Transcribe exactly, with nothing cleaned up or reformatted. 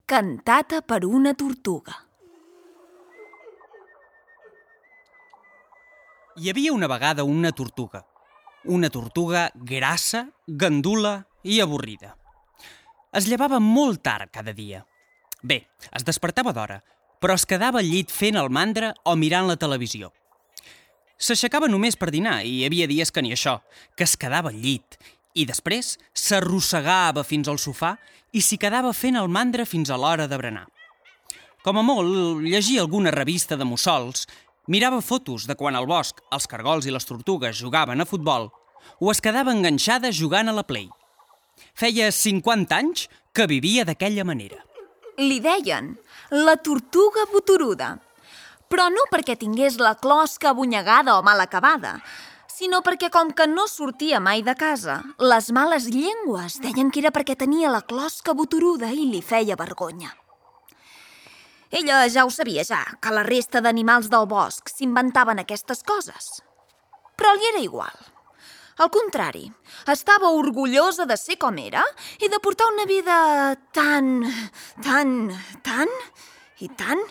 Cantata per una tortuga. Hi havia una vegada una tortuga. Una tortuga grassa, gandula i avorrida. Es llevava molt tard cada dia. Bé, es despertava d'hora, però es quedava al llit fent el mandra o mirant la televisió. S'aixecava només per dinar i hi havia dies que ni això, que es quedava al llit i després s'arrossegava fins al sofà i s'hi quedava fent el mandra fins a l'hora de berenar. Com a molt, llegia alguna revista de mussols, mirava fotos de quan al bosc els cargols i les tortugues jugaven a futbol o es quedava enganxada jugant a la Play. Feia cinquanta anys que vivia d'aquella manera. Li deien la tortuga boturuda, però no perquè tingués la closca abunyegada o mal acabada, sinó perquè com que no sortia mai de casa, les males llengües deien que era perquè tenia la closca boturuda i li feia vergonya. Ella ja ho sabia ja, que la resta d'animals del bosc s'inventaven aquestes coses. Però li era igual. Al contrari, estava orgullosa de ser com era i de portar una vida tan, tan, tan i tan